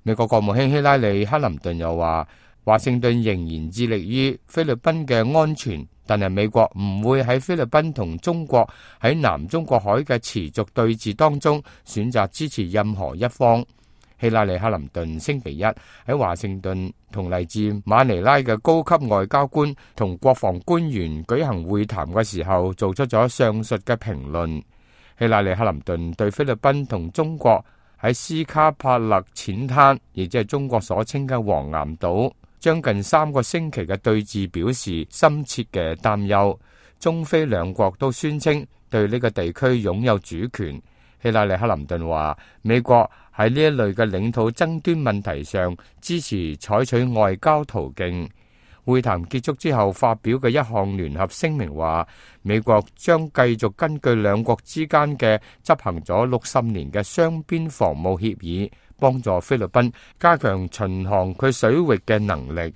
美國國務卿希拉里·克林頓又話，華盛頓仍然致力於菲律賓嘅安全，但係美國唔會喺菲律賓同中國喺南中國海嘅持續對峙當中選擇支持任何一方。希拉里·克林頓星期一喺華盛頓同嚟自馬尼拉嘅高級外交官同國防官員舉行會談嘅時候，做出咗上述嘅評論。希拉里·克林頓對菲律賓同中國喺斯卡帕勒淺灘，亦即係中國所稱嘅黃岩島，將近3個星期嘅對峙表示深切嘅擔憂。中菲兩國都宣稱對呢個地區擁有主權。希拉里·克林頓話，美國喺呢一類嘅領土爭端問題上支持採取外交途徑。會談結束之後發表嘅一項聯合聲明話，美國將繼續根據兩國之間嘅執行咗60年嘅雙邊防務協議，幫助菲律賓加強巡航佢水域嘅能力。